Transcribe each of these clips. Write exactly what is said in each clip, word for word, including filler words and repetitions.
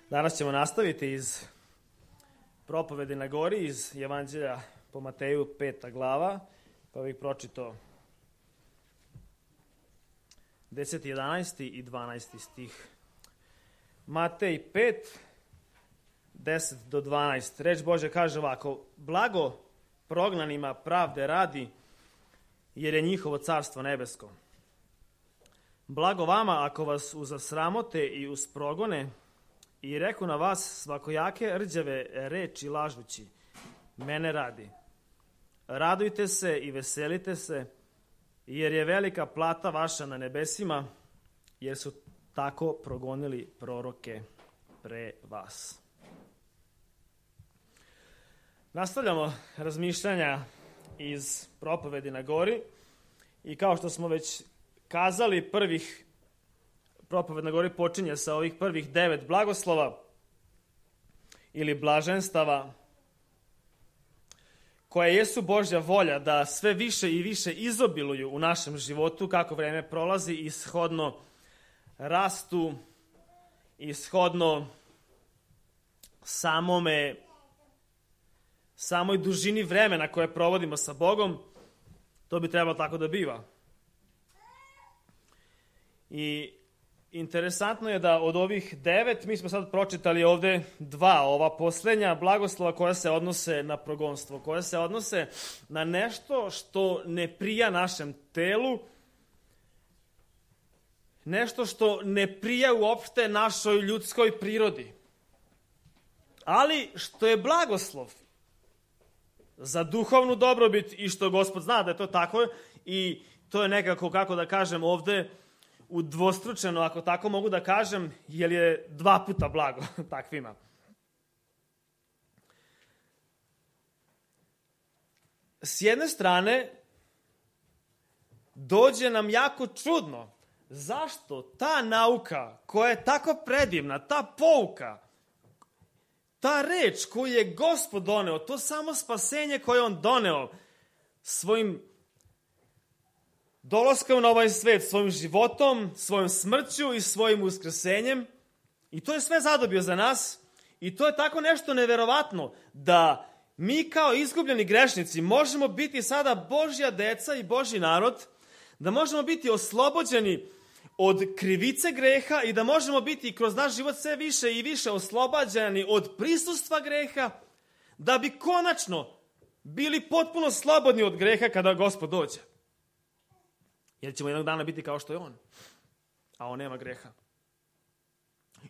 Danas ćemo nastaviti iz propovedi na gori, iz Evanđelja po Mateju, peta glava, pa bih pročitao deseti, jedanaesti i dvanaesti stih. Matej pet, deset do dvanaest. Reč Božja kaže ovako: blago prognanima pravde radi, jer je njihovo carstvo nebesko. Blago vama ako vas uzasramote i usprogone i reku na vas svakojake rđave reči lažući, mene radi. Radujte se i veselite se, jer je velika plata vaša na nebesima, jer su tako progonili proroke pre vas. Nastavljamo razmišljanja iz propovedi na gori i kao što smo već kazali, prvih propoved na gori počinje sa ovih prvih devet blagoslova ili blaženstava koje jesu Božja volja da sve više i više izobiluju u našem životu kako vreme prolazi i shodno rastu i shodno samome samoj dužini vremena koje provodimo sa Bogom. To bi trebalo tako da biva. I interesantno je da od ovih devet, mi smo sad pročitali ovde dva, ova poslednja blagoslova koja se odnose na progonstvo, koja se odnose na nešto što ne prija našem telu, nešto što ne prija uopšte našoj ljudskoj prirodi, ali što je blagoslov za duhovnu dobrobit i što Gospod zna da je to tako i to je nekako, kako da kažem, ovde udvostručeno, ako tako mogu da kažem, jer je dva puta blago takvima. S jedne strane, dođe nam jako čudno zašto ta nauka koja je tako predivna, ta pouka, ta reč koju je Gospod doneo, to samo spasenje koje on doneo svojim dolaskom na ovaj svet, svojim životom, svojom smrću i svojim uskrsenjem. I to je sve zadobio za nas. I to je tako nešto neverovatno da mi kao izgubljeni grešnici možemo biti sada Božja deca i Božji narod, da možemo biti oslobođeni od krivice greha i da možemo biti kroz naš život sve više i više oslobađani od prisustva greha, da bi konačno bili potpuno slobodni od greha kada Gospod dođe. Jer ćemo jednog dana biti kao što je on. A on nema greha.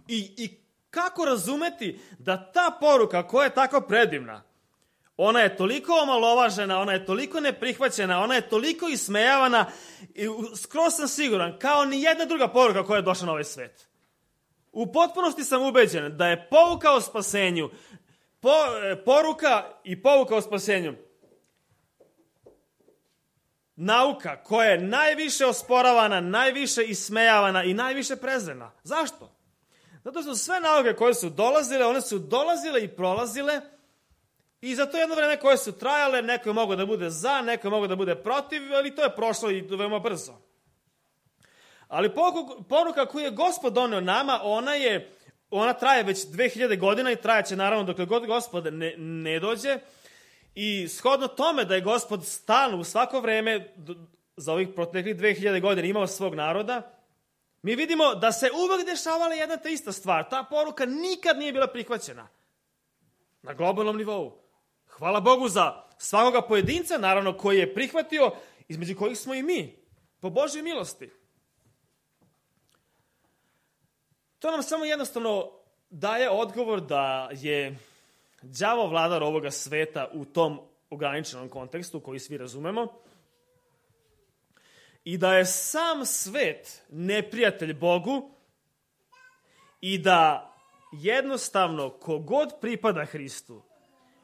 I, i kako razumeti da ta poruka koja je tako predivna, ona je toliko omalovažena, ona je toliko neprihvaćena, ona je toliko ismejavana i skroz sam siguran, kao ni jedna druga poruka koja je došla na ovaj svet. U potpunosti sam ubeđen da je pouka o spasenju, po, poruka i pouka o spasenju nauka koja je najviše osporavana, najviše ismejavana i najviše prezrena. Zašto? Zato su sve nauke koje su dolazile, one su dolazile i prolazile i za to jedno vreme koje su trajale, neko je mogao da bude za, neko je mogao da bude protiv, ali to je prošlo i veoma brzo. Ali poruka koju je Gospod doneo nama, ona je, ona traje već dve hiljade godina i trajaće naravno dokle god Gospod ne, ne dođe. I shodno tome da je Gospod stalno u svako vreme za ovih proteklih dve hiljade godina imao svog naroda, mi vidimo da se uvek dešavala jedna te ista stvar. Ta poruka nikad nije bila prihvaćena na globalnom nivou. Hvala Bogu za svakoga pojedinca, naravno, koji je prihvatio, između kojih smo i mi, po Božjoj milosti. To nam samo jednostavno daje odgovor da je đavo vladar ovoga sveta u tom ograničenom kontekstu koji svi razumemo i da je sam svet neprijatelj Bogu i da jednostavno kogod pripada Hristu,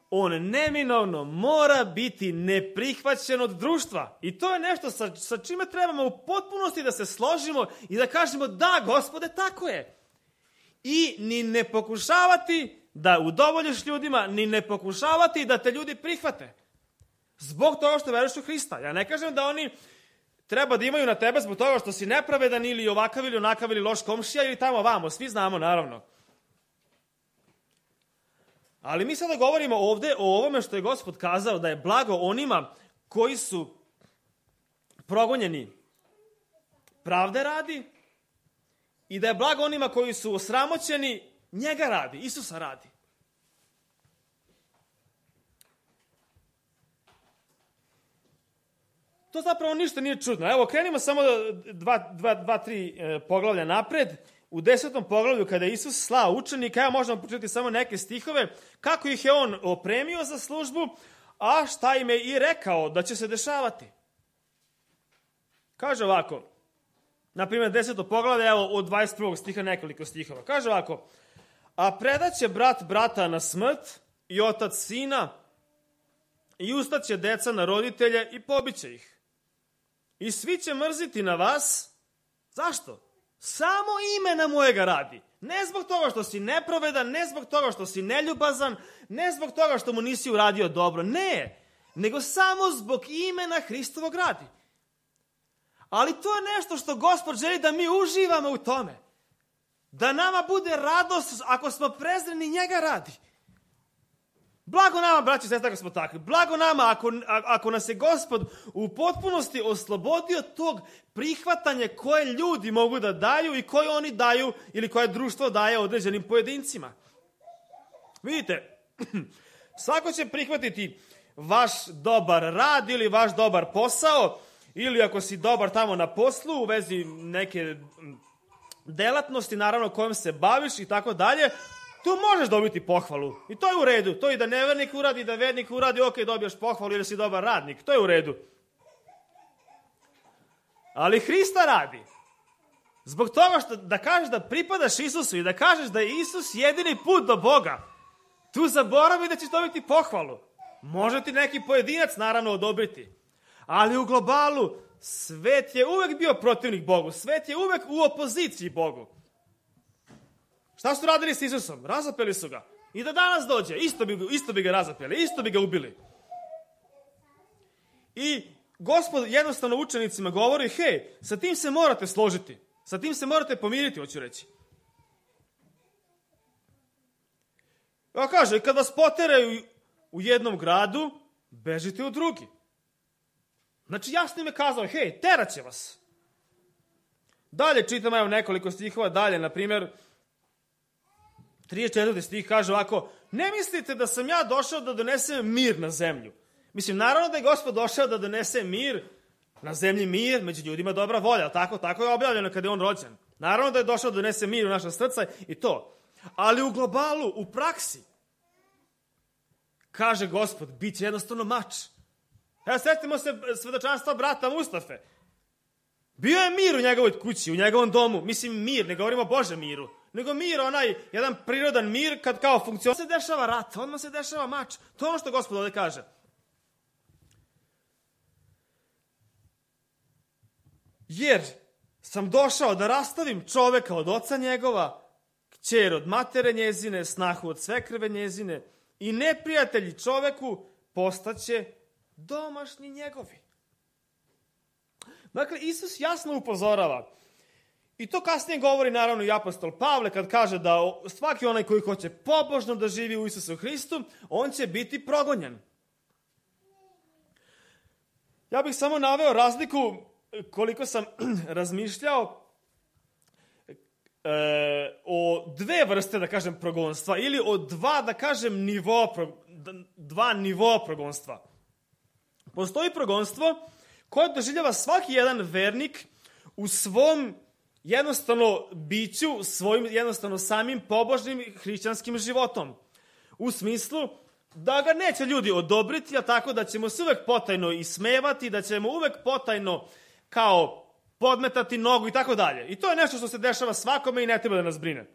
on neminovno mora biti neprihvaćen od društva. I to je nešto sa, sa čime trebamo u potpunosti da se složimo i da kažemo da, Gospode, tako je. I ni ne pokušavati da udovoljiš ljudima, ni ne pokušavati da te ljudi prihvate. Zbog toga što veruješ u Hrista. Ja ne kažem da oni treba da imaju na tebe zbog toga što si nepravedan ili ovakav ili onakav ili loš komšija ili tamo vamo. Svi znamo, naravno. Ali mi sada govorimo ovde o ovome što je Gospod kazao, da je blago onima koji su progonjeni pravde radi i da je blago onima koji su osramoćeni njega radi, Isusa radi. To zapravo ništa nije čudno. Evo, krenimo samo dva, dva, dva tri e, poglavlja napred. U desetom poglavlju, kada je Isus slao učenika, evo možemo početi samo neke stihove, kako ih je on opremio za službu, a šta im je i rekao da će se dešavati. Kaže ovako, na primjer, deseto poglavlje, evo od dvadeset prvog stiha nekoliko stihova. Kaže ovako, a predaće brat brata na smrt i otac sina i ustaće deca na roditelje i pobiće ih. I svi će mrziti na vas. Zašto? Samo imena mojega radi. Ne zbog toga što si nepravedan, ne zbog toga što si neljubazan, ne zbog toga što mu nisi uradio dobro. Ne, nego samo zbog imena Hristovog radi. Ali to je nešto što Gospod želi da mi uživamo u tome. Da nama bude radost ako smo prezreni njega radi. Blago nama, braći i sestre, ako smo takvi. Blago nama ako, ako nas je Gospod u potpunosti oslobodio tog prihvatanja koje ljudi mogu da daju i koje oni daju ili koje društvo daje određenim pojedincima. Vidite, svako će prihvatiti vaš dobar rad ili vaš dobar posao ili ako si dobar tamo na poslu u vezi neke delatnosti, naravno kojom se baviš i tako dalje, tu možeš dobiti pohvalu. I to je u redu. To i da nevernik uradi, i da vernik uradi, ok, dobijaš pohvalu ili si dobar radnik. To je u redu. Ali Hrista radi. Zbog toga što da kažeš da pripadaš Isusu i da kažeš da je Isus jedini put do Boga, tu zaboravi da ćeš dobiti pohvalu. Može ti neki pojedinac naravno odobriti. Ali u globalu svet je uvek bio protivnik Bogu. Svet je uvek u opoziciji Bogu. Šta su radili s Isusom? Razapeli su ga. I da danas dođe, isto bi, isto bi ga razapeli, isto bi ga ubili. I Gospod jednostavno učenicima govori, hej, sa tim se morate složiti. Sa tim se morate pomiriti, hoću reći. Ja kaže, kad vas poteraju u jednom gradu, bežite u drugi. Znači, jasno im je kazao, hej, terat će vas. Dalje čitam, evo nekoliko stihova, dalje, na primjer, trideset četvrti stih kaže ovako, ne mislite da sam ja došao da donesem mir na zemlju. Mislim, naravno da je Gospod došao da donese mir, na zemlji mir, među ljudima dobra volja, tako, tako je objavljeno kada je on rođen. Naravno da je došao da donese mir u naša srca i to. Ali u globalu, u praksi, kaže Gospod, bit će jednostavno mač. Evo, sjetimo se svedočanstva brata Mustafe. Bio je mir u njegovoj kući, u njegovom domu. Mislim, mir, ne govorimo o Božem miru. Nego mir, onaj, jedan prirodan mir, kad kao funkcioniše, se dešava rat, odmah se dešava mač. To je ono što Gospod ovdje kaže. Jer sam došao da rastavim čoveka od oca njegova, kćer od matere njezine, snahu od svekrve njezine i neprijatelji čoveku postaće domašni njegovi. Dakle, Isus jasno upozorava. I to kasnije govori naravno i apostol Pavle kad kaže da svaki onaj koji hoće pobožno da živi u Isusu Hristu, on će biti progonjen. Ja bih samo naveo razliku koliko sam razmišljao e, o dve vrste, da kažem, progonstva ili o dva, da kažem, nivo, dva nivoa progonstva. Postoji progonstvo koje doživljava svaki jedan vernik u svom jednostavno biću, svojim jednostavno samim pobožnim hrišćanskim životom. U smislu da ga neće ljudi odobriti, a tako da ćemo se uvek potajno ismevati, da ćemo uvek potajno kao podmetati nogu i tako dalje. I to je nešto što se dešava svakome i ne treba da nas brine.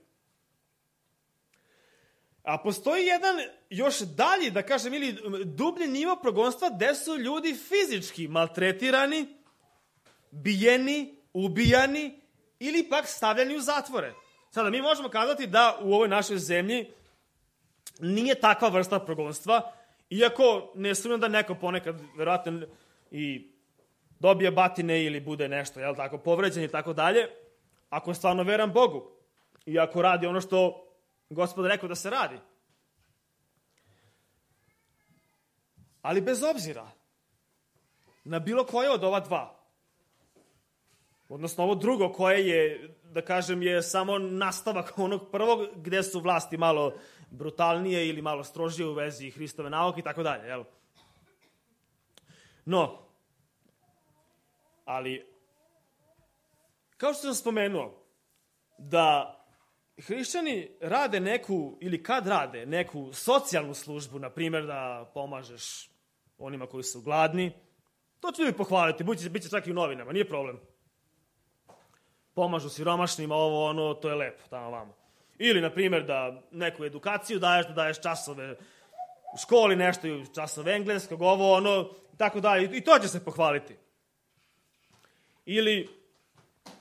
A postoji jedan još dalji, da kažem, ili dublji nivo progonstva gde su ljudi fizički maltretirani, bijeni, ubijani ili pak stavljani u zatvore. Sada, mi možemo kazati da u ovoj našoj zemlji nije takva vrsta progonstva, iako ne sumnjam da neko ponekad verovatno i dobije batine ili bude nešto, jel tako, povređen i tako dalje, ako je stvarno veran Bogu i ako radi ono što Gospod rekao da se radi. Ali bez obzira na bilo koje od ova dva, odnosno ovo drugo koje je, da kažem, je samo nastavak onog prvog gde su vlasti malo brutalnije ili malo strožije u vezi Hristove nauke i tako dalje, jel? No, ali, kao što sam spomenuo, da hrišćani rade neku, ili kad rade neku socijalnu službu, na primjer da pomažeš onima koji su gladni, to ću ljudi pohvaliti, bit će čak i u novinama, nije problem. Pomažu siromašnima, ovo, ono, to je lepo, tamo vamo. Ili, na primjer, da neku edukaciju daješ, da daješ časove u školi, nešto, časove engleskog, ovo, ono, tako dalje, i to će se pohvaliti. Ili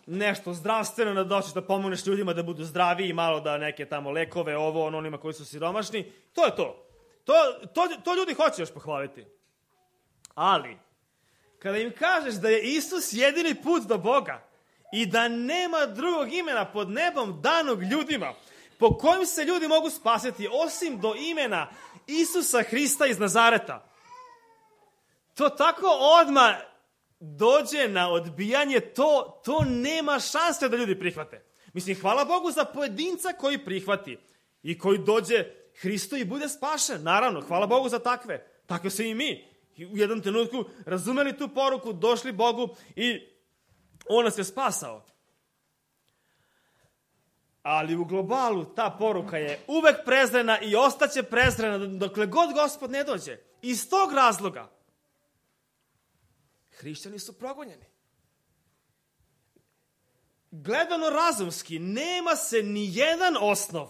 nešto zdravstveno, da doćeš da pomogneš ljudima da budu zdraviji, malo da neke tamo lekove, ovo, ono, onima koji su siromašni, to je to. To, to, to ljudi hoće još pohvaliti. Ali, kada im kažeš da je Isus jedini put do Boga i da nema drugog imena pod nebom danog ljudima, po kojim se ljudi mogu spasiti, osim do imena Isusa Hrista iz Nazareta, to tako odmah dođe na odbijanje, to, to nema šanse da ljudi prihvate. Mislim, hvala Bogu za pojedinca koji prihvati i koji dođe Hristu i bude spašen. Naravno, hvala Bogu za takve. Takve se i mi. I u jednom trenutku razumeli tu poruku, došli Bogu i on nas je spasao. Ali u globalu ta poruka je uvek prezrena i ostaće prezrena dokle god Gospod ne dođe. Iz tog razloga hrišćani su progonjeni. Gledano razumski, nema se ni jedan osnov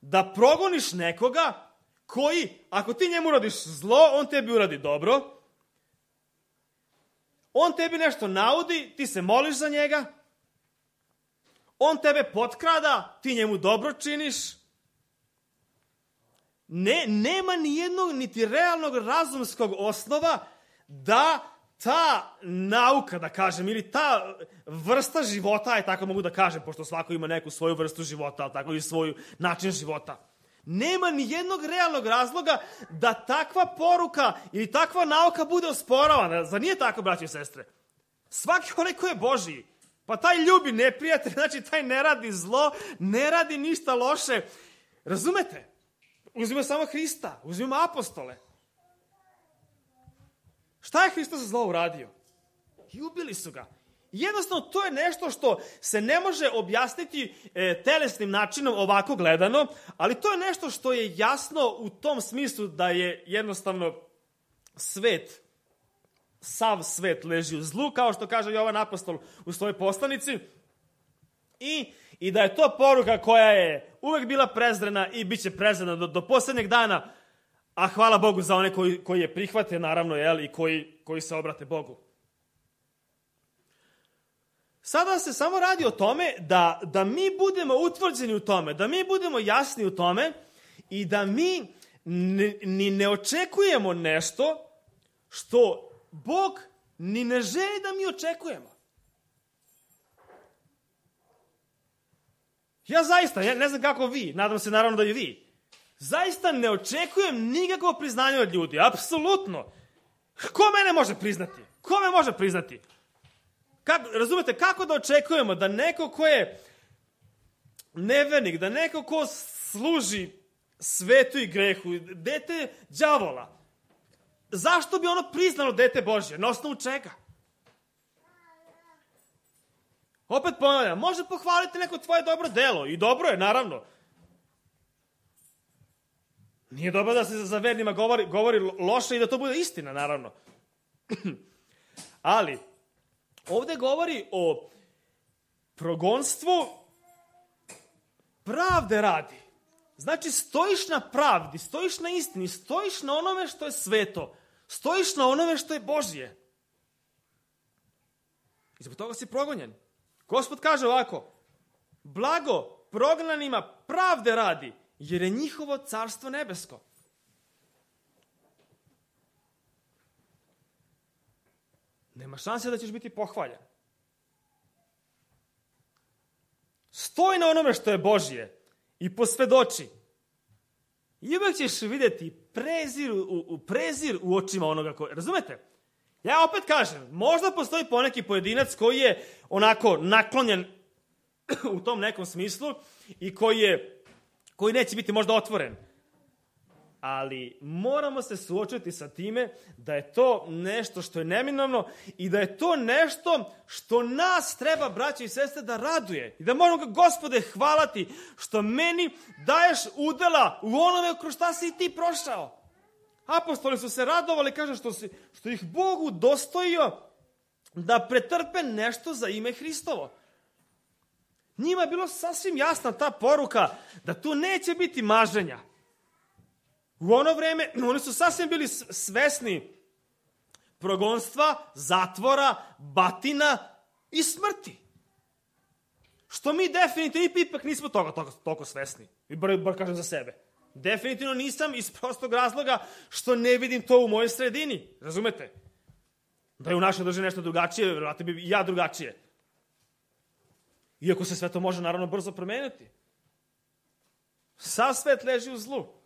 da progoniš nekoga koji, ako ti njemu uradiš zlo, on tebi uradi dobro, on tebi nešto naudi, ti se moliš za njega, on tebe potkrada, ti njemu dobro činiš. Ne, nema ni jednog, niti realnog razumskog osnova da ta nauka, da kažem, ili ta vrsta života, aj tako mogu da kažem, pošto svako ima neku svoju vrstu života, ali tako i svoj način života. Nema ni jednog realnog razloga da takva poruka ili takva nauka bude osporavana. Zar nije tako, braći i sestre? Svaki onaj ko je Božiji, pa taj ljubi neprijatelj, znači taj ne radi zlo, ne radi ništa loše. Razumete? Uzmimo samo Hrista, uzmimo apostole. Šta je Hristos za zlo uradio? I ubili su ga. Jednostavno, to je nešto što se ne može objasniti e, telesnim načinom ovako gledano, ali to je nešto što je jasno u tom smislu da je jednostavno svet, sav svet leži u zlu, kao što kaže Jovan apostol u svojoj poslanici, i, i da je to poruka koja je uvek bila prezrena i bit će prezrena do, do posljednjeg dana, a hvala Bogu za one koji, koji je prihvate, naravno, jel, i koji, koji se obrate Bogu. Sada se samo radi o tome da, da mi budemo utvrđeni u tome, da mi budemo jasni u tome i da mi ni, ni ne očekujemo nešto što Bog ni ne želi da mi očekujemo. Ja zaista, ja ne znam kako vi, nadam se naravno da i vi, zaista ne očekujem nikakvo priznanje od ljudi, apsolutno. Ko mene može priznati? Ko me može priznati? Kako, razumete, kako da očekujemo da neko ko je nevernik, da neko ko služi svetu i grehu, dete đavola, zašto bi ono priznalo dete Božje? Na osnovu čega? Opet ponavljam, može pohvaliti neko tvoje dobro delo i dobro je, naravno. Nije dobro da se za vernima govori, govori loše i da to bude istina, naravno. Ali ovde govori o progonstvu pravde radi. Znači, stojiš na pravdi, stojiš na istini, stojiš na onome što je sveto, stojiš na onome što je Božje. I zbog toga si progonjen. Gospod kaže ovako, blago prognanima pravde radi, jer je njihovo carstvo nebesko. Nema šanse da ćeš biti pohvaljen. Stoj na onome što je Božje i posvedoči. I uvek ćeš vidjeti prezir u, u, prezir u očima onoga koji... Razumete? Ja opet kažem, možda postoji poneki pojedinac koji je onako naklonjen u tom nekom smislu i koji, je, koji neće biti možda otvoren. Ali moramo se suočiti sa time da je to nešto što je neminovno i da je to nešto što nas treba, braće i sestre, da raduje. I da moramo ga, Gospode, hvalati što meni daješ udela u onome kroz šta si i ti prošao. Apostoli su se radovali, kaže, što, si, što ih Bog udostojio da pretrpe nešto za ime Hristovo. Njima je bilo sasvim jasna ta poruka da tu neće biti maženja. U ono vreme oni su sasvim bili svesni progonstva, zatvora, batina i smrti. Što mi definitivno ipak nismo toga toliko, toliko svesni. I bar, bar kažem za sebe. Definitivno nisam iz prostog razloga što ne vidim to u mojoj sredini. Razumete? Da je u našoj državi nešto drugačije, vjerojatno bi i ja drugačije. Iako se sve to može naravno brzo promeniti. Sav svet leži u zlu.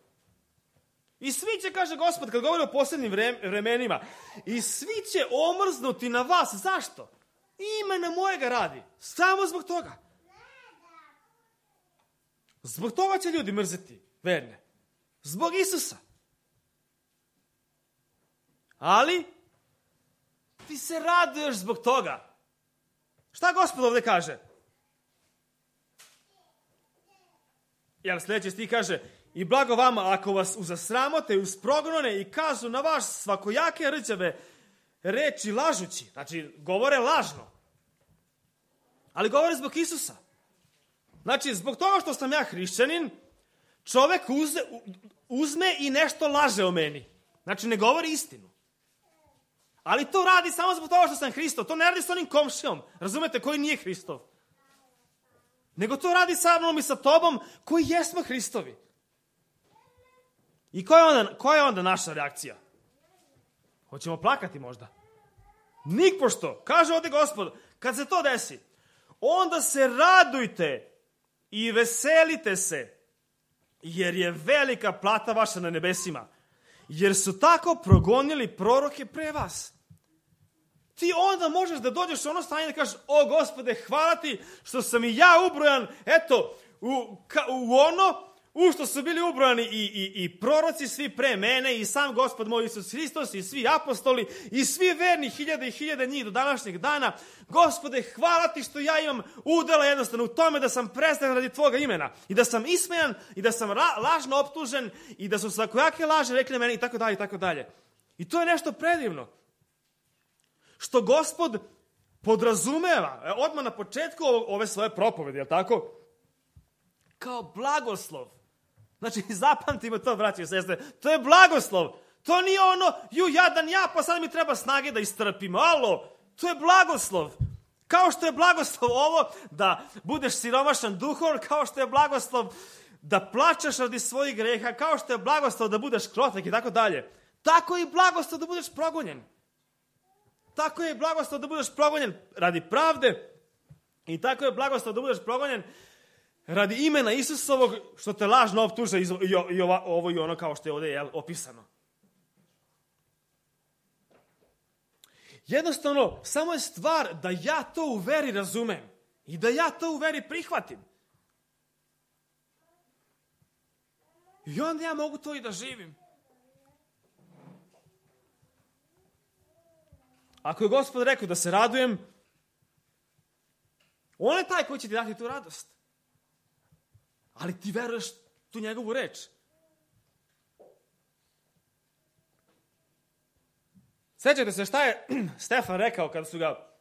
I svi će, kaže Gospod, kad govori o posljednjim vremenima, i svi će omrznuti na vas. Zašto? Imena mojega radi. Samo zbog toga. Zbog toga će ljudi mrzeti verne. Zbog Isusa. Ali ti se raduješ zbog toga. Šta Gospod ovdje kaže? Jer sljedeći stih kaže: i blago vama ako vas uzasramote i usprogonone i kažu na vas svakojake rđave reči lažući. Znači, govore lažno. Ali govore zbog Isusa. Znači, zbog toga što sam ja hrišćanin, čovek uze, uzme i nešto laže o meni. Znači, ne govori istinu. Ali to radi samo zbog toga što sam Hristov. To ne radi s onim komšijom, razumete, koji nije Hristov. Nego to radi sa mnom i sa tobom koji jesmo Hristovi. I koja je onda, koja je onda naša reakcija? Hoćemo plakati možda? Nikpošto. Kaže ovdje Gospod, kad se to desi, onda se radujte i veselite se, jer je velika plata vaša na nebesima, jer su tako progonili proroke pre vas. Ti onda možeš da dođeš u ono stanje da kažeš: o Gospode, hvala ti što sam i ja ubrojan, eto, u, ka, u ono u što su bili ubrojani i, i, i proroci svi pre mene, i sam Gospod moj Isus Hristos, i svi apostoli, i svi verni, hiljade i hiljade njih do današnjeg dana. Gospode, hvala ti što ja imam udela jednostavno u tome da sam prestran radi tvoga imena, i da sam ismejan, i da sam ra, lažno optužen, i da su svakojake laže rekli meni, i tako dalje, i tako dalje. I to je nešto predivno. Što Gospod podrazumeva, odmah na početku ove svoje propovedi, je li tako? Kao blagoslov. Znači, zapamtimo to, braći i sestre. To je blagoslov. To nije ono, ju, jadan ja, pa sad mi treba snage da istrpim. Alo, to je blagoslov. Kao što je blagoslov ovo da budeš siromašan duhom, kao što je blagoslov da plačeš radi svojih greha, kao što je blagoslov da budeš krotak i tako dalje. Tako je i blagoslov da budeš progonjen. Tako je i blagoslov da budeš progonjen radi pravde, i tako je blagoslov da budeš progonjen radi imena Isusovog, što te lažno optuže i, i, i ovo i ono, kao što je ovdje, jel, opisano. Jednostavno, samo je stvar da ja to u veri razumem i da ja to u veri prihvatim. I onda ja mogu to i da živim. Ako je Gospod rekao da se radujem, on je taj koji će ti dati tu radost. Ali ti veruješ tu njegovu reč. Sjećate se šta je Stefan rekao kada su ga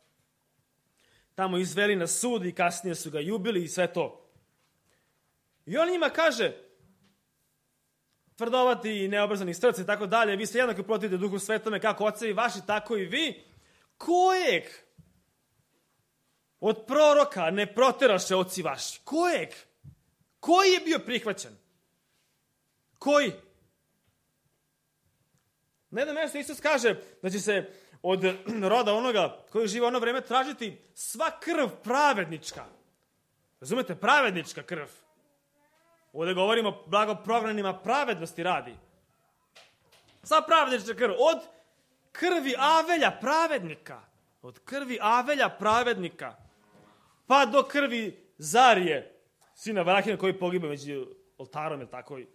tamo izveli na sud i kasnije su ga jubili i sve to. I on njima kaže: tvrdovati i neobrazani srce i tako dalje, vi se jednako protivite Duhu Svetome kako ocevi vaši, tako i vi. Kojeg od proroka ne proteraše oci vaši? Kojeg? Koji je bio prihvaćen? Koji? Na jednom mjestu Isus kaže da će se od roda onoga koji živa ono vreme tražiti sva krv pravednička. Razumete? Pravednička krv. Ovdje govorimo blago prognanima pravednosti radi. Sva pravednička krv. Od krvi Avelja pravednika. Od krvi Avelja pravednika. Pa do krvi Zarije, sina Varahina koji pogiba među oltarom, je tako i.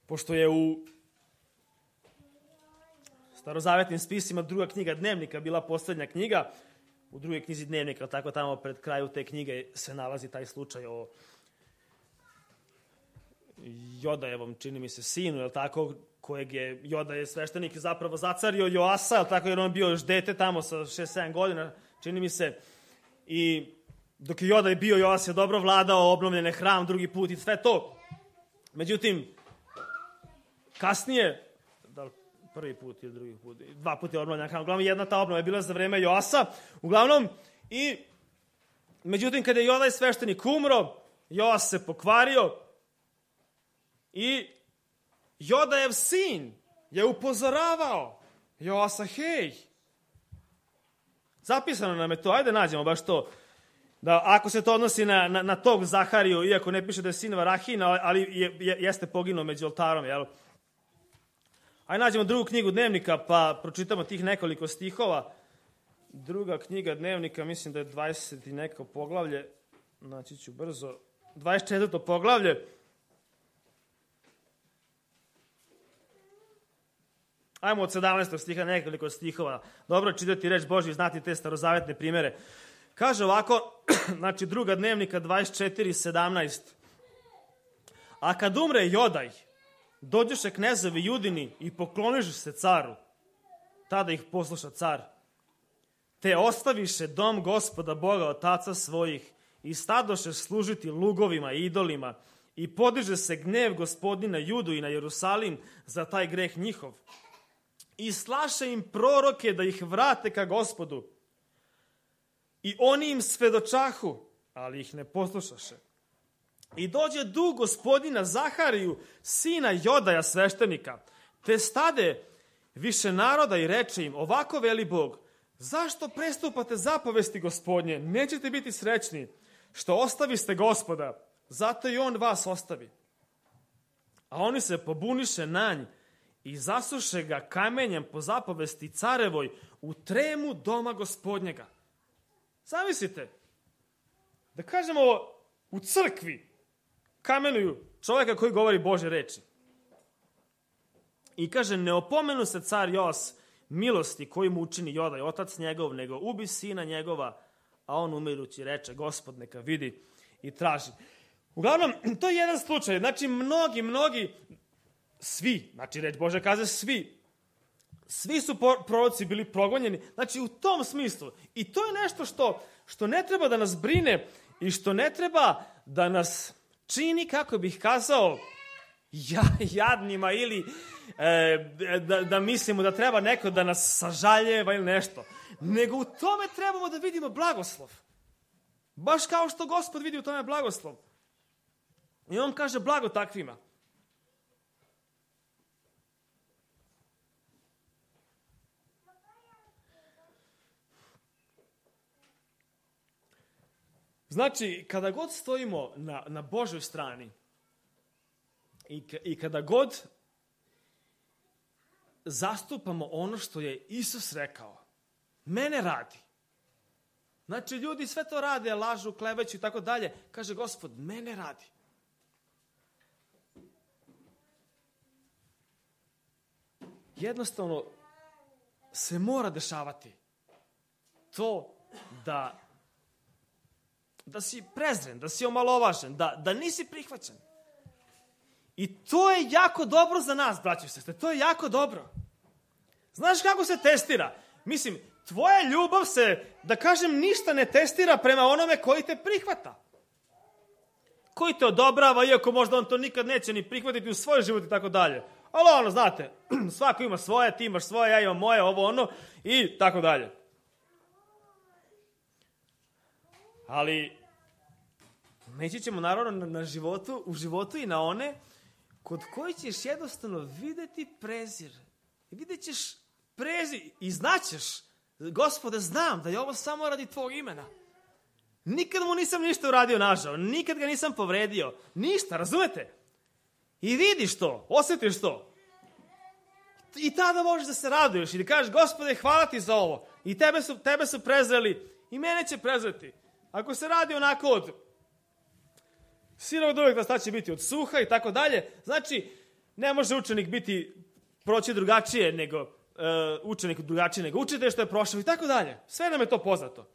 Pošto je u starozavetnim spisima druga knjiga Dnevnika bila posljednja knjiga, u drugoj knjizi Dnevnika, tako tamo pred kraju te knjige se nalazi taj slučaj o Jodajevom, čini mi se, sinu, je tako, kojeg je, Joda je sveštenik zapravo zacario Joasa, je tako, jer on bio još dete tamo sa šest sedam godina, čini mi se, i dok je Joda je bio, Joas je dobro vladao, obnovljen je hram drugi put i sve to. Međutim, kasnije, da li prvi put ili drugi put, dva puta je obnovljen hram, uglavnom jedna ta obnova je bila za vreme Joasa, uglavnom, i međutim, kada je Jodaj sveštenik umro, Joas se pokvario i Jodajev sin je upozoravao Joasa, hej, zapisano nam je to, ajde nađemo baš to, da ako se to odnosi na, na, na tog Zahariju, iako ne piše da je sin Varahina, ali je, je, jeste poginuo među oltarom, jel? Ajde nađemo drugu knjigu Dnevnika, pa pročitamo tih nekoliko stihova. Druga knjiga Dnevnika, mislim da je dvadeset i neko poglavlje, naći ću brzo, dvadeset četvrto poglavlje. Ajmo od sedamnaestog stiha nekoliko stihova. Dobro čitati reč Božju i znati te starozavetne primere. Kaže ovako, znači druga Dnevnika dvadeset četiri sedamnaest. A kad umre Jodaj, dođeše knezovi Judini i pokloniše se caru. Tada ih posluša car. Te ostaviše dom Gospoda Boga otaca svojih i stadoše služiti lugovima i idolima i podiže se gnev Gospodnji na Judu i na Jerusalim za taj greh njihov. I slaše im proroke da ih vrate ka Gospodu. I oni im svedočahu, ali ih ne poslušaše. I dođe duh Gospodina Zahariju, sina Jodaja sveštenika, te stade više naroda i reče im, ovako veli Bog, zašto prestupate zapovesti Gospodnje, nećete biti srećni, što ostaviste Gospoda, zato i on vas ostavi. A oni se pobuniše na nj i zasuše ga kamenjem po zapovesti carevoj u tremu doma Gospodnjega. Zamislite, da kažemo u crkvi kamenuju čovjeka koji govori Božje reči. I kaže, ne opomenu se car Joas milosti koji mu učini Jodaj, otac njegov, nego ubi sina njegova, a on umirući reče, Gospod neka vidi i traži. Uglavnom, to je jedan slučaj. Znači, mnogi, mnogi, svi, znači reč Bože kaže svi, svi su proroci bili progonjeni. Znači, u tom smislu. I to je nešto što, što ne treba da nas brine i što ne treba da nas čini, kako bih kazao, ja, jadnima ili e, da, da mislimo da treba neko da nas sažaljeva ili nešto. Nego u tome trebamo da vidimo blagoslov. Baš kao što Gospod vidi u tome blagoslov. I on kaže blago takvima. Znači, kada god stojimo na, na Božoj strani i, i kada god zastupamo ono što je Isus rekao, mene radi. Znači, ljudi sve to rade, lažu, kleveću i tako dalje. Kaže Gospod, mene radi. Jednostavno se mora dešavati to da da si prezren, da si omalovažen, da, da nisi prihvaćen. I to je jako dobro za nas, braći i sestre, to je jako dobro. Znaš kako se testira? Mislim, tvoja ljubav se, da kažem, ništa ne testira prema onome koji te prihvata. Koji te odobrava, iako možda on to nikad neće ni prihvatiti u svoj život i tako dalje. Ali ono, znate, svako ima svoje, ti imaš svoje, ja imam moje, ovo ono i tako dalje. Ali neći ćemo naravno na životu, u životu i na one kod koji ćeš jednostavno videti prezir. Vidjet ćeš prezir i znaćeš Gospode, znam da je ovo samo radi tvog imena. Nikad mu nisam ništa uradio nažao, nikad ga nisam povredio, ništa, razumete? I vidiš to, osjetiš to. I tada možeš da se raduješ i da kažeš, Gospode, hvala ti za ovo. I tebe su, tebe su prezreli i mene će prezreti. Ako se radi onako od sirovog uvek, da će biti od suha i tako dalje, znači, ne može učenik biti, proći drugačije nego, uh, učenik drugačije nego učitelj što je prošao i tako dalje. Sve nam je to poznato.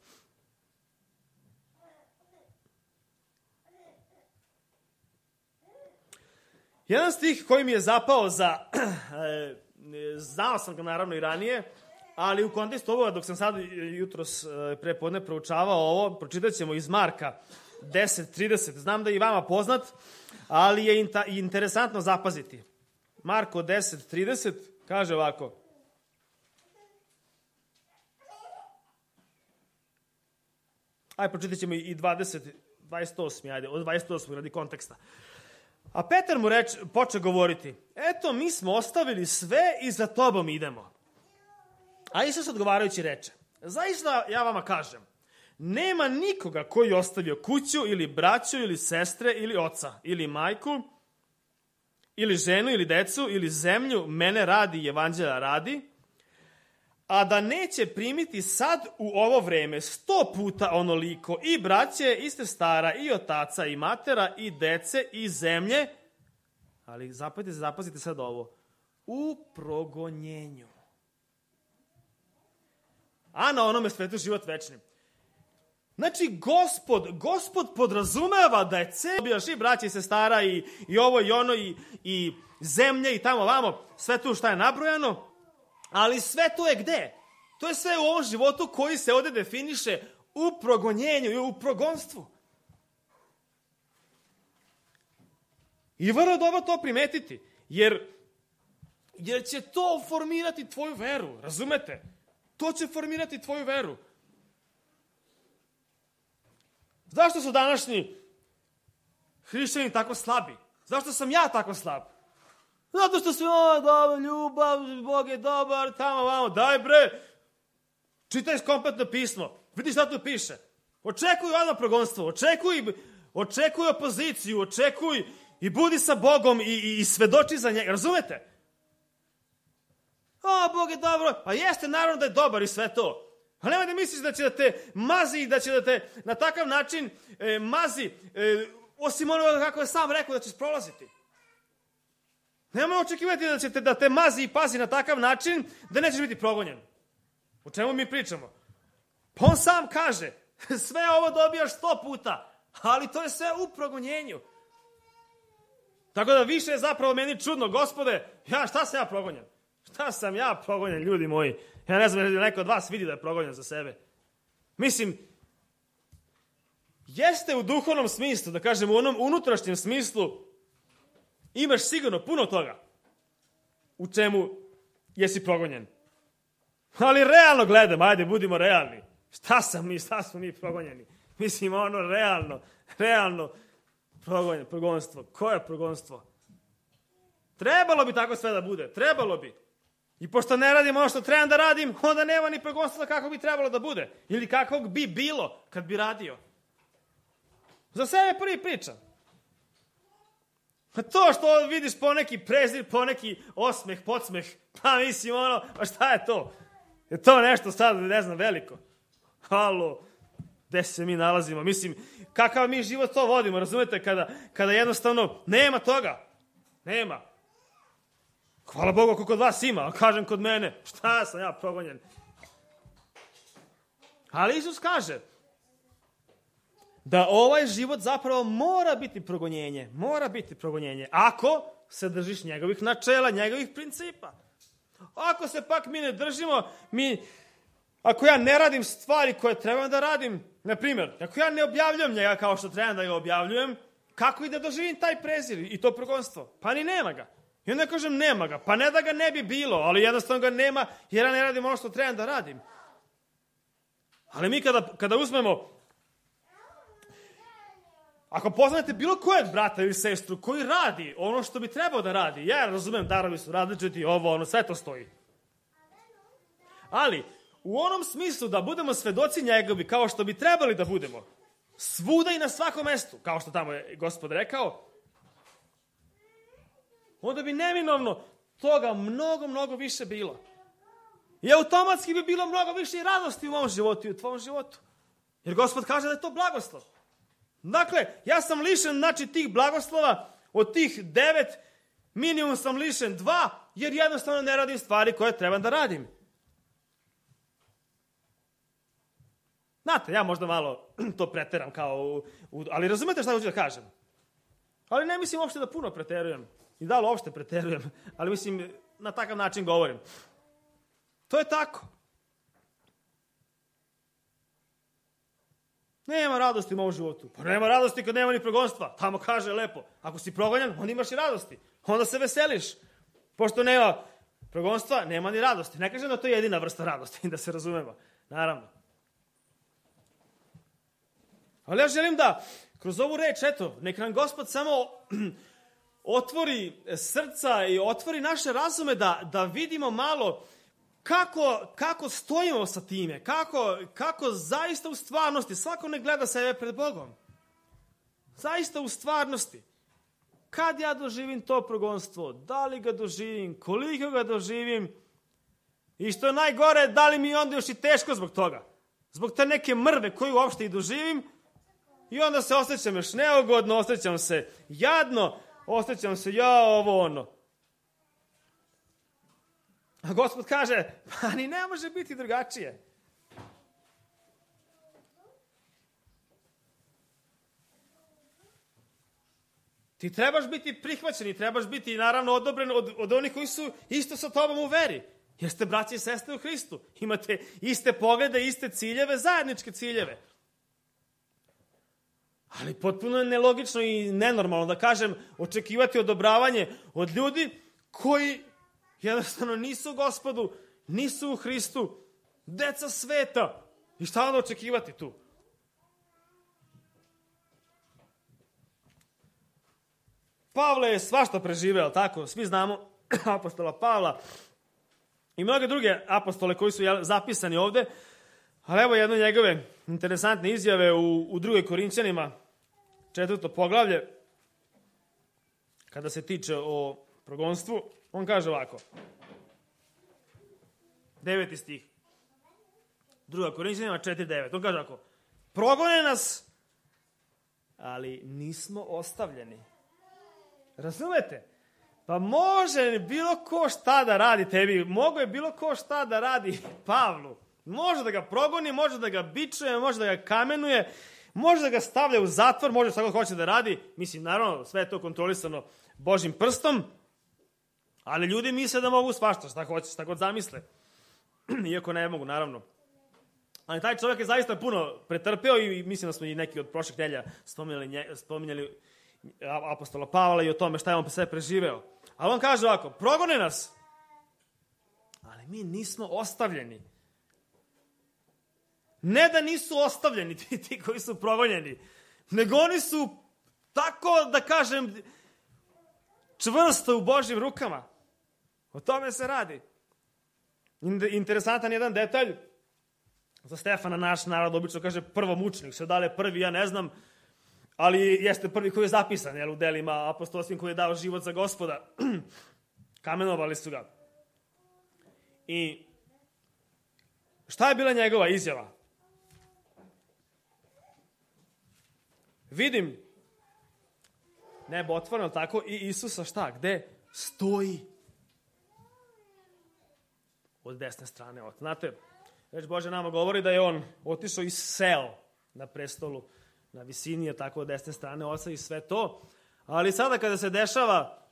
Jedan stih koji mi je zapao za, znao sam ga naravno i ranije, ali u kontekstu ovoga, dok sam sad jutros prepodne proučavao ovo, pročitat ćemo iz Marka deset trideset. Znam da je i vama poznat, ali je interesantno zapaziti. Marko deset trideset kaže ovako. Ajde, pročitat ćemo i dvadeset, dvadeset osam, ajde, od dvadeset osam radi konteksta. A Petar mu reč, poče govoriti, eto, mi smo ostavili sve i za tobom idemo. A Isus odgovarajući reče, zaista ja vama kažem, nema nikoga koji je ostavio kuću ili braću ili sestre ili oca ili majku ili ženu ili decu ili zemlju, mene radi i evanđelja radi, a da neće primiti sad u ovo vreme sto puta onoliko i braće, i sestara, i otaca, i matera, i dece, i zemlje, ali zapazite, zapazite sad ovo, u progonjenju. A na onome svetu život večni. Znači, gospod, gospod podrazumeva da je ceo, i braće, i sestara, i, i ovo, i ono, i, i zemlje, i tamo, vamo, sve tu šta je nabrojano, ali sve to je gde? To je sve u ovom životu koji se ovde definiše u progonjenju i u progonstvu. I vrlo dobro to primetiti, jer, jer će to formirati tvoju veru, razumete? To će formirati tvoju veru. Zašto su današnji hrišćani tako slabi? Zašto sam ja tako slab? Zato što su, o, dobro, ljubav, Bog je dobar, tamo, vamo, daj bre, čitaj kompletno pismo, vidi šta tu piše. Očekuj odmah progonstvo, očekuj, očekuj opoziciju, očekuj i budi sa Bogom i, i, i svedoči za njega, razumete? O, Bog je dobro, pa jeste naravno da je dobar i sve to. Ali nemoj da misliš da će da te mazi i da će da te na takav način e, mazi, e, osim onoga kako je sam rekao da ćeš prolaziti. Nemoj očekivati da će te, da te mazi i pazi na takav način da nećeš biti progonjen. O čemu mi pričamo? Pa on sam kaže, sve ovo dobijaš sto puta, ali to je sve u progonjenju. Tako da više je zapravo meni čudno, Gospode, ja šta sam ja progonjen? Šta sam ja progonjen, ljudi moji? Ja ne znam, neko od vas vidi da je progonjen za sebe. Mislim, jeste u duhovnom smislu, da kažem u onom unutrašnjem smislu, imaš sigurno puno toga u čemu jesi progonjen. Ali realno gledam, ajde, budimo realni. Šta sam mi, šta smo mi progonjeni? Mislim, ono, realno, realno progonjen, progonstvo. Koje progonstvo? Trebalo bi tako sve da bude, trebalo bi. I pošto ne radim ono što trebam da radim, onda nema ni progonstva kako bi trebalo da bude. Ili kakvog bi bilo kad bi radio. Za sebe prvi pričam. To što vidiš poneki prezir, poneki osmeh, podsmeh, pa mislim ono, pa šta je to? Je to nešto sad, ne znam, veliko? Halo, gde se mi nalazimo? Mislim, kakav mi život to vodimo, razumete, kada, kada jednostavno nema toga. Nema. Hvala Bogu ako kod vas ima, a kažem kod mene, šta sam ja progonjen? Ali Isus kaže da ovaj život zapravo mora biti progonjenje, mora biti progonjenje, ako se držiš njegovih načela, njegovih principa. Ako se pak mi ne držimo, mi, ako ja ne radim stvari koje trebam da radim, na primjer, ako ja ne objavljujem njega kao što trebam da ga objavljujem, kako i da doživim taj prezir i to progonstvo? Pa ni nema ga. I onda kažem nema ga, pa ne da ga ne bi bilo, ali jednostavno ga nema jer ja ne radim ono što trebam da radim. Ali mi kada, kada uzmemo, ako poznate bilo kojeg brata ili sestru koji radi ono što bi trebao da radi, ja razumem, darovi su različiti, ovo, ono, sve to stoji. Ali, u onom smislu da budemo svedoci njegovi, kao što bi trebali da budemo, svuda i na svakom mestu, kao što tamo je Gospod rekao, onda bi neminovno toga mnogo, mnogo više bilo. I automatski bi bilo mnogo više i radosti u mom životu i u tvojom životu. Jer Gospod kaže da je to blagoslov. Dakle, ja sam lišen, znači, tih blagoslova, od tih devet, minimum sam lišen dva, jer jednostavno ne radim stvari koje trebam da radim. Znate, ja možda malo to preteram kao, u, u, ali razumete šta hoću da kažem? Ali ne mislim uopšte da puno preterujem. I da li uopšte preterujem, ali mislim, na takav način govorim. To je tako. Nema radosti u mom životu. Pa nema radosti kad nema ni progonstva. Tamo kaže lepo, ako si progonjan, onda imaš i radosti. Onda se veseliš. Pošto nema progonstva, nema ni radosti. Ne kažem da to je jedina vrsta radosti, da se razumemo. Naravno. Ali ja želim da kroz ovu reč, eto, nek nam Gospod samo otvori srca i otvori naše razume da, da vidimo malo kako, kako stojimo sa time, kako, kako zaista u stvarnosti, svako ne gleda sebe pred Bogom. Zaista u stvarnosti. Kad ja doživim to progonstvo, da li ga doživim, koliko ga doživim i što je najgore, da li mi onda još i teško zbog toga. Zbog te neke mrve koju uopšte i doživim i onda se osjećam još neugodno, osjećam se jadno, osjećam se ja ovo ono. A Gospod kaže, pa ni ne može biti drugačije. Ti trebaš biti prihvaćen i trebaš biti naravno odobren od, od onih koji su isto sa tobom u veri. Jer ste braći i sestre u Hristu. Imate iste poglede, iste ciljeve, zajedničke ciljeve. Ali potpuno je nelogično i nenormalno da kažem očekivati odobravanje od ljudi koji jednostavno nisu u Gospodu, nisu u Hristu, deca sveta. I šta onda očekivati tu? Pavle je svašta preživeo, tako? Svi znamo apostola Pavla i mnoge druge apostole koji su zapisani ovde. Ali evo jedno njegove interesantne izjave u, u drugoj Korinćanima, četvrto poglavlje, kada se tiče o progonstvu. On kaže ovako, deveti stih, druga Korinćanima četiri devet. On kaže ovako, progone nas, ali nismo ostavljeni. Razumete? Pa može bilo ko šta da radi tebi, mogo je bilo ko šta da radi Pavlu. Može da ga progoni, može da ga bičuje, može da ga kamenuje, može da ga stavlja u zatvor, može šta god hoće da radi. Mislim, naravno, sve je to kontrolisano Božim prstom, ali ljudi misle da mogu svašta, šta hoće, šta god zamisle. Iako ne mogu, naravno. Ali taj čovjek je zaista puno pretrpeo i mislim da smo i neki od prošlih nedelja spominjali, spominjali apostola Pavla i o tome šta je on sve preživeo. Ali on kaže ovako, progone nas, ali mi nismo ostavljeni. Ne da nisu ostavljeni ti, ti koji su progonjeni, nego oni su tako, da kažem, čvrsto u Božjim rukama. O tome se radi. Interesantan jedan detalj. Za Stefana naš narod obično kaže prvomučnik. Sve da li je prvi, ja ne znam. Ali jeste prvi koji je zapisan, jel, u delima apostolskim, koji je dao život za Gospoda. Kamenovali su ga. I šta je bila njegova izjava? Vidim nebo otvoreno, tako, i Isusa šta? Gde? Stoji. Od desne strane. Znate, reč Bože nama govori da je on otišao i seo na prestolu na visini, je tako, od desne strane oca i sve to. Ali sada kada se dešava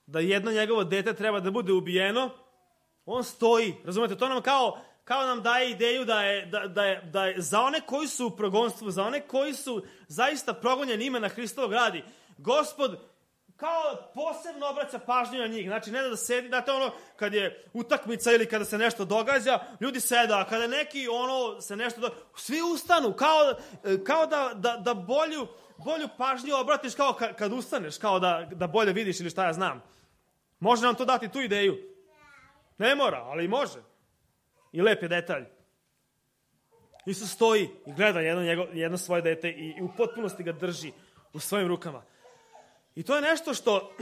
da jedno njegovo dete treba da bude ubijeno, on stoji. Razumete, to nam kao, kao nam daje ideju da je, da, da, je, da je za one koji su u progonstvu, za one koji su zaista progonjeni imena Hristovog radi, Gospod kao posebno obraća pažnju na njih. Znači, ne da sedi, znate ono, kad je utakmica ili kada se nešto događa, ljudi seda, a kada neki ono se nešto događa, svi ustanu, kao, kao da, da, da bolju, bolju pažnju obratiš kao kad ustaneš, kao da, da bolje vidiš ili šta ja znam. Može nam to dati tu ideju? Ne mora, ali može. I lep je detalj. Isus stoji i gleda jedno, njego, jedno svoje dete i, i u potpunosti ga drži u svojim rukama. I to je nešto što,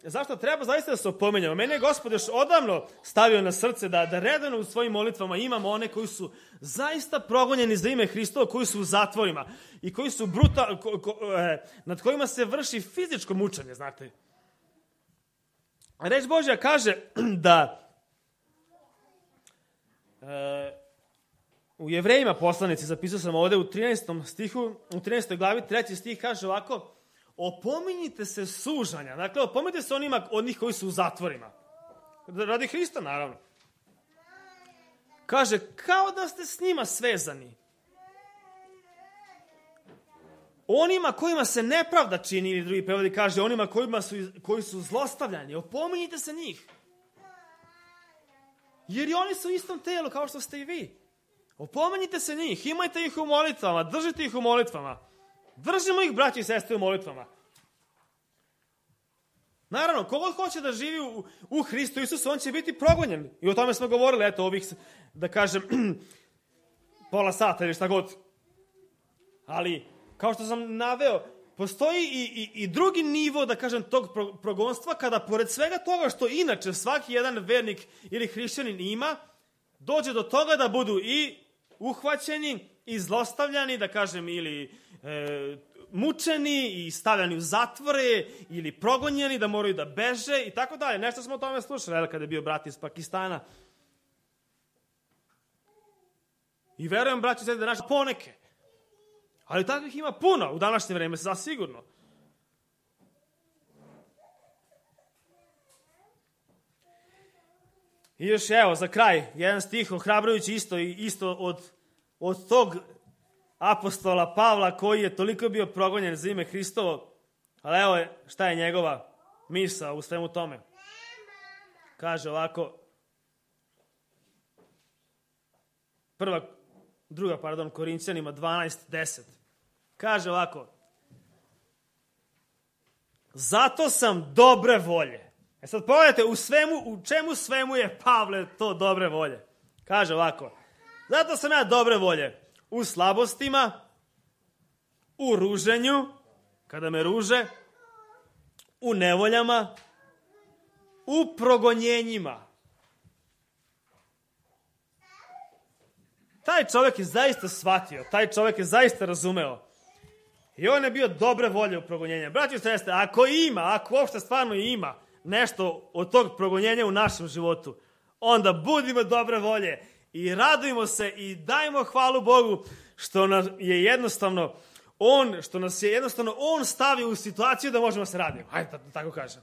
zašto treba zaista da se opomenjamo. Mene je Gospod još odavno stavio na srce da, da redano u svojim molitvama imamo one koji su zaista progonjeni za ime Hristova, koji su u zatvorima i koji su brutal, ko, ko, eh, nad kojima se vrši fizičko mučenje, znate. Reč Božja kaže da eh, u Jevrejima poslanici, zapisao sam ovde u trinaestom stihu, u trinaestoj glavi, treći stih kaže ovako: opominjite se sužanja. Dakle, opominjite se onima od njih koji su u zatvorima. Radi Hrista, naravno. Kaže, kao da ste s njima svezani. Onima kojima se nepravda čini, ili drugi prevodi kaže, onima kojima su, koji su zlostavljani. Opominjite se njih. Jer i oni su u istom telu kao što ste i vi. Opominjite se njih, imajte ih u molitvama, držite ih u molitvama. Držimo ih, braći i sestre, u molitvama. Naravno, kogod hoće da živi u, u Hristu Isusu, on će biti progonjen. I o tome smo govorili, eto, ovih, da kažem, pola sata ili šta god. Ali, kao što sam naveo, postoji i, i, i drugi nivo, da kažem, tog pro, progonstva, kada pored svega toga što inače svaki jedan vernik ili hrišćanin ima, dođe do toga da budu i uhvaćeni, i zlostavljani, da kažem, ili e, mučeni i stavljani u zatvore ili progonjeni, da moraju da beže i tako dalje. Nešto smo o tome slušali kada je bio brat iz Pakistana. I verujem, braći, da naši poneke. Ali takvih ima puno u današnje vreme, zasigurno. I još evo, za kraj, jedan stih ohrabrujući isto, isto od, od tog apostola Pavla koji je toliko bio progonjen za ime Hristovo. Ali evo šta je njegova misao u svemu tome. Kaže ovako, prva, druga, pardon, Korinćanima dvanaest deset. Kaže ovako, zato sam dobre volje. E sad pogledajte, u, svemu, u čemu svemu je Pavle to dobre volje. Kaže ovako, zato sam ja dobre volje u slabostima, u ruženju, kada me ruže, u nevoljama, u progonjenjima. Taj čovjek je zaista shvatio, taj čovjek je zaista razumeo. I on je bio dobre volje u progonjenju. Braći i sestre, ako ima, ako uopšte stvarno ima nešto od tog progonjenja u našem životu, onda budimo dobre volje i radujmo se i dajmo hvalu Bogu što nas je jednostavno on, što nas je jednostavno on stavio u situaciju da možemo se raditi. Hajde da tako kažem.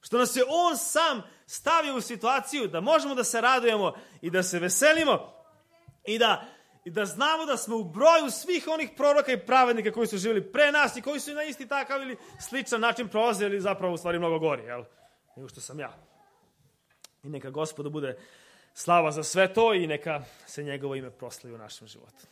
Što nas je on sam stavio u situaciju da možemo da se radujemo i da se veselimo i da, i da znamo da smo u broju svih onih proroka i pravednika koji su živjeli pre nas i koji su na isti takav ili sličan način prolazili ili zapravo u stvari mnogo gori, jel? Nego što sam ja. I neka Gospodu bude slava za sve to i neka se njegovo ime proslavi u našem životu.